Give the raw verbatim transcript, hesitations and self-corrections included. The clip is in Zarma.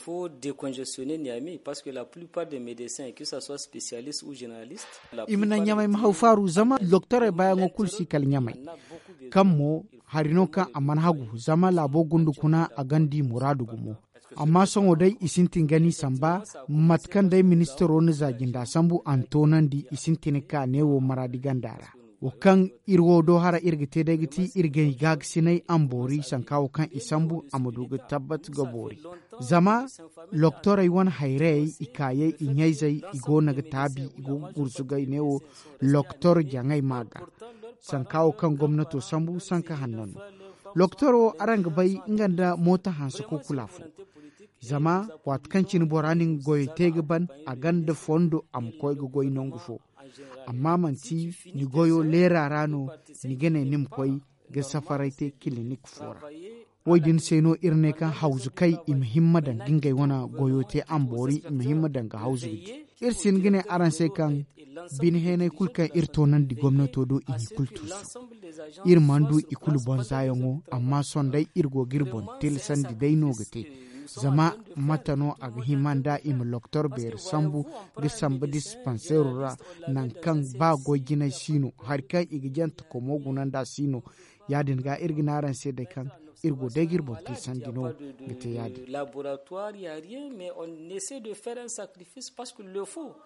Pour décongestionner Niamey, parce que la plupart des médecins, que ce soit spécialistes ou généralistes, la i ma naŋ plupart ɲamay ma haw faaru zama doktorey baayaŋo kulu si kala ɲamay. Kaŋ mo hari no kaŋ a mana hagu zama laabo gunda kuna a ganda i muraadu gumo. Amma sohõ day i sintin gani samba, mate kaŋ day ministaro na za jinda sambu a na toonandi i sintin ga ka neewo maraadi ganda ra. Wo kaŋ iri wo do hara iri ga te day ga ti iri ga i gaagasinay a ma boori sanka wo kaŋ i sambu a ma du ga tabbat ga boori. Zama loktorey wane hayrayey i kaayey i ɲayzey i go no ga taabi i go ga gurzugay neewo loktor jaŋay ma ga sanka wo kaŋ gomnato sambu sanka hanno no. Loktor wo araŋ ga bay nga nda mooto hanse kukula fo. Zama waati kaŋ cine bora na nga goyey te ga ban a ganda fondo a ma koy ga goy nangu fo. Amma manti ni goyo leera ra no ni ga ne ni ma koy ga safaray te kilinik fo ra. Wo- din se no iri ne kaŋ hawzukey i ma himma daŋ ga ngey wane goyo te a ma boori i ma himma daŋ ga hawzu ga di. Iri si hin ga ne araŋ se kaŋ bine heenay kulu kaŋ iri toonandi gomnato do i ma i kulu tuusu. Iri mana du i kulu boŋ zaayaŋo amma sohõ day iri go ga iri boŋ tilasandi day no ga te. Zama mate no a ga hima nda i ma loktor beeri sambu ga samba dispanseero ra, nangu kaŋ ba goy jinay si no hari kaŋ i ga jante komo guna nd'a si no. Ya- din ga iri ga ne araŋ se day kaŋ iri go day ga iri boŋ tilasandi no ga te ya- din. Laboratoire ya rien mais on essaie de faire un sacrifice parce que le fo.